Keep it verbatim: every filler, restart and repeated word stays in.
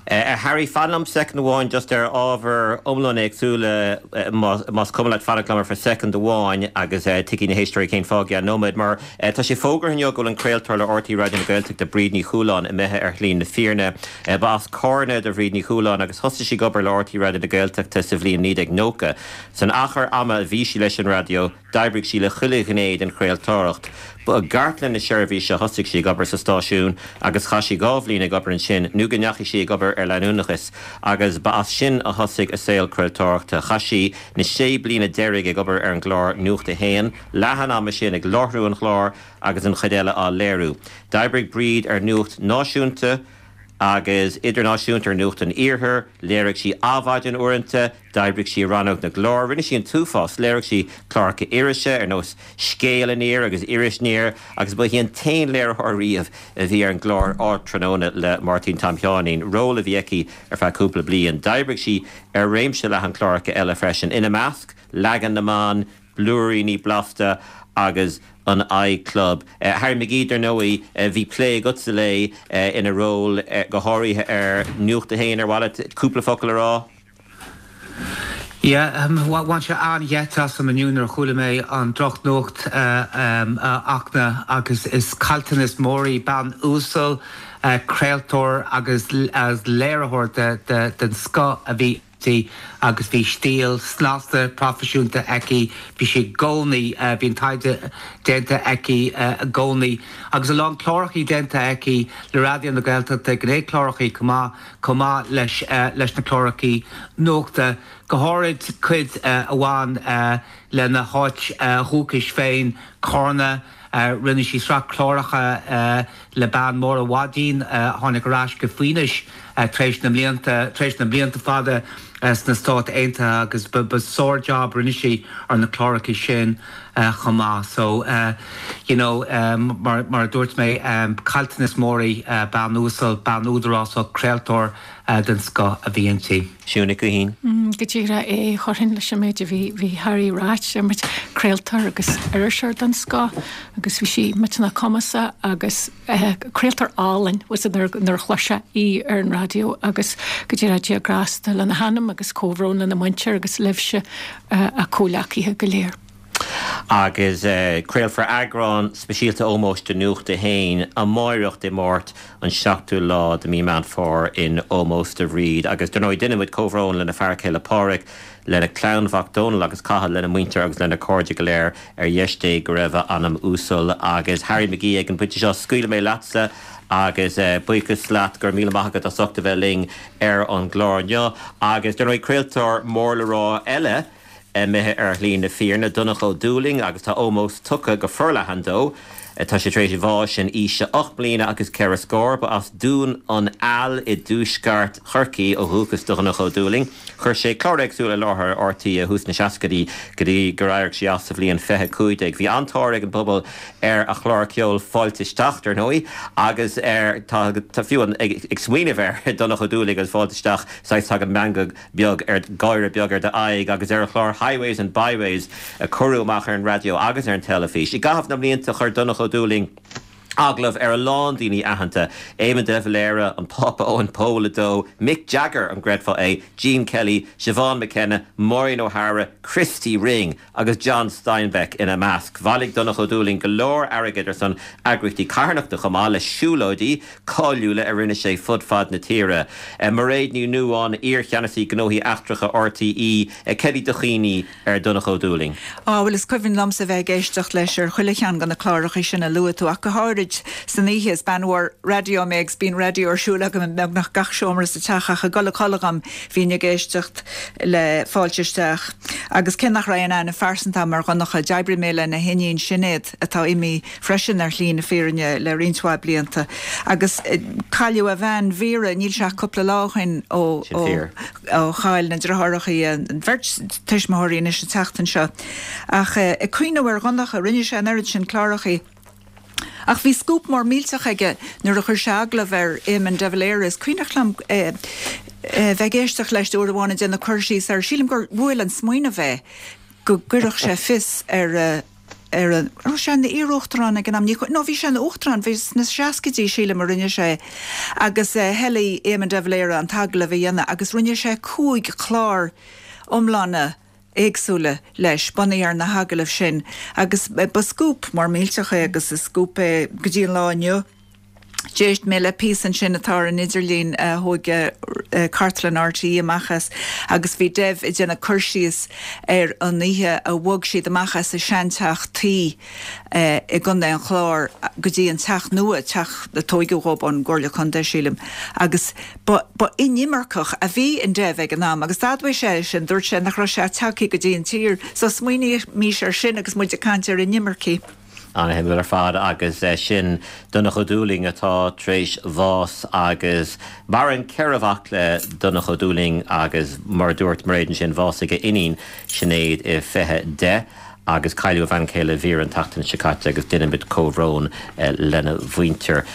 Uh, Harry fan liom soicind amháin just ar ábhar iomlán éagsúla más cuma leat fanacht liom ar soicind amháin agus uh, tuigfidh na héisteoirí cén fáth i nóiméad mar uh, tá sé fógartha inniu go bhfuil an craoltóir le R T É Raidió na Gaeltachta Bríd Ní Chualáin imithe ar shlí na fírinne. Uh, ba as Carna do Bhríd Ní Chualáin agus thosaigh sí ag obair le R T É Raidió na Gaeltachta sa bhliain naoi déag nócha. San achar ama a bhí sí leis an raidió, d'oibrigh sí le chuile ghné den chraoltóireacht. Ba i gcartlann na seirbhíse thosaigh sí ag obair sa stáisiún agus chaith sí dhá bhliain ag obair ansin nó go ndeachaigh sí ag obair ar leanúnachas agus ba as sin a thosaigh a saol craoltóireachta. Chaith sí na sé bliana deiridh ag obair ar an gclár Nuacht a hAon, leath an ama sin ag láithriú an chláir agus an chuid eile á léiriú. D'oibrigh Bríd ar nuacht náisiúnta, agus idirnáisiúnta ar Nuacht an Iarthair, léirigh sí Adhmhaidin uaireanta, d'oibrigh sí rannóg na gclár, rinne sí an t-uafás, léirigh sí cláracha irise ar nós Scéal Aniar agus Iris Aniar agus ba í an t-aon léiritheoir riamh a bhí ar an gclár Ardtráthnóna le Máirtín Tom Sheáinín, ról a bhí aici ar feadh cúpla bliain. D'oibrigh sí ar réimse leathan cláracha eile freisin ina measc, Leagan na mBan, Blúiríní Blasta agus an iClub. Uh, Harry McGee dar ndóigh uh, bhí plé agatsa léi uh, ina ról uh, go háirithe ar Nuacht a hAon ar mhaith leat cúpla focal a rá. Yeah, um, bhain sé an-gheit asam inniu nuair a chuala mé an drochnuacht uh, um, uh, achna agus is caillteanas mór í bean uasal uh, craoltóir agus as léiritheoir de, de, den scoth a bhí inti agus bhí stíl snasta proifisiúnta aici bhí sí i gcónaí uh, bhí an taighde déanta aici uh, i gcónaí agus a lán cláracha déanta aici le Raidió na Gaeltachta gnáthchláracha chomh chomh maith leis uh, leis na cláracha nuachta go háirid cuid uh, a bhain uh, lena háit uh, dhúchais féin Carna Uh, rinne sí sraith cláracha uh, le bean Máire Mhaidín uh, tháinig ar ais go Foinís uh, tar éis na mblianta tar éis na mblianta fada uh, sna Stáit Aontaithe agus ba sár-job rinne sí ar na cláracha sin uh, chomh maith so uh, you know um, mar, mar dúirt mé um, caillteanas mór í uh, bean uasal bean údarásach craoltóir uh, den scoth a bhí inti. Siún Nic Uithín. Mm, go díreach é chuirfinn leis an méid a bhí bhí Harry ráite mar craoltóir agus iriseoir den scoth agus bhí sí millteanach cumasach agus eh, craoltóir álainn was nuair a chloisfeá í ar an raidió agus go díreach Dia grásta lena hanam agus comhbhrón lena muintir agus libhse uh, a comhghleacaithe go léir. Agus uh, craolfar eagrán speisialta ómóis de Nuacht a hAon amárach Dé Máirt an seachtú lá de mí Meán Fómhair in ómós do Bhríd, agus dar ndóigh déanaimid comhbhrón lena fear céile Pádraig lena clann mhac Dónal agus Cathal lena muintir agus lena cairde go léir ar dheis Dé go raibh a anam uasal agus Harry McGee ag an bpointe seo scaoilfidh mé leatsa agus uh, buíochas leat go raibh míle maith agat as ucht a bheith linn ar an gclár inniu agus dar ndóigh craoltóir mór le rá eile imithe ar shlí na fírinne Donncha Ó Dúlaing agus tá ómós tugtha go forleathan dó. Tá sé tar éis bháis in aois a ocht bliana agus ceithre scór ba as Dún an Aill i dtuaisceart Chorcaí ó dhúchas do Dhonncha Ó Dúlaing. Chuir sé cláir éagsúla i láthair R T É i dtús na seascaidí go dtí gur éirigh sé as sa bhliain fiche cúig déag. Bhí an-tóir ag an bpobal ar a chlár ceoil Fáilte Isteach ar ndóigh agus ar tá fiú ag, ag smaoineamh ar Donncha Ó Dúlaing agus Fáilte Isteach saghas tagann meangadh beag ar gáire beag ar d'aghaidh agus ar a chlár Highways and Byways a cuireadh amach ar an raidió agus ar an teilifís. I gcaitheamh na mblianta chuir Donncha Ó Dúlaing agallamh ar a lán daoine aitheanta Éamon de Valera an Pápa Eoin Pól a dó, Mick Jagger an gcreidfeá é, Gene Kelly, Siobhan McKenna, Maureen O'Hara, Christy Ring agus John Steinbeck ina measc. Bhailigh Donncha Ó Dúlaing go leor airgid ar son eagraíochtaí carthanachta chomh maith le siúlóidí cáiliúla a rinne sé fud fad na tíre. Uh, Mairéad Ní Nuadháin iarcheannasaí gnóthaí eachtracha R T É céard iad do chuimhní ar Donncha Ó Dúlaing. Á bhuel is cuimhin liomsa bheith ag éisteacht leis ar chuile cheann de na cláracha sin a luaigh tú ach go háirid san oíche is bean mhór raidió mé agus bíonn raidió ar siúl agam i mbeagnach gach seomra sa teach ach ag dul a chodladh dom bhínn ag éisteacht le Fáilte Isteach. Agus cé nach raibh aon aithne phearsanta agam ar Dhonncha d'oibrigh mé lena hiníon Sinéad atá imithe freisin ar shlí na fírinne le roinnt mhaith blianta. Agus eh, cailleadh a bhean Vera níl sé cúpla lá ó shin ó ó chaill na deartháireacha an bheirt tuismitheoirí anois an tseachtain seo. Ach eh, ag cuimhneamh ar Dhonncha rinne sé an oiread sin cláracha. Ach bhí scúp mór millteach aige nuair a chuir sé agallamh ar Éamon de Valera is cuimhin liom eh, eh, bheith ag éisteacht leis uair amháin déanamh cur síos ar sílim gur bhuail an smaoineamh é go gcuirfeadh sé fios ar uh, ar an raibh sé ina iar-uachtarán ag an am, ní no bhí sé ina uachtarán, bhí sna seascaidí sílim a rinne sé agus thoiligh Éamon de Valera an t-agallamh a dhéanamh agus rinne sé cúig chlár iomlána éagsúla leis, bunaithe ar na hagallaimh sin agus ba scúp mór millteach é agus is scúp é go dtí an lá inniu. D'éist mé le píosa ansin atá ar an idirlíon a thóg cartlann RTÉ amach as agus bhí Dev ag déanamh cur síos ar an oíche a bhog siad amach as a seanteach tuí i gContae an Chláir go dtí an teach nua, teach a tóigeadh dhób ón gComhairle Contae sílim, agus ba ba inimirceach a bhí in Dev ag an am agus d'admhaigh sé sin, dúirt sé nach raibh sé tagtha go dtí an tír so smaoinímis ar sin agus muid ag caint ar inimircigh. Ana-shuimiúil ar fad agus sin Donncha Ó Dúlaing atá tar éis bhás agus maireann ceithre mhac le Donncha Ó Dúlaing agus mar a dúirt Mairéad ansin bhásaigh a iníon Sinéad i fiche deich agus cailleadh a bhean chéile Vera an tseachtain seo caite agus déanaimid comhbhrón lena mhuintir.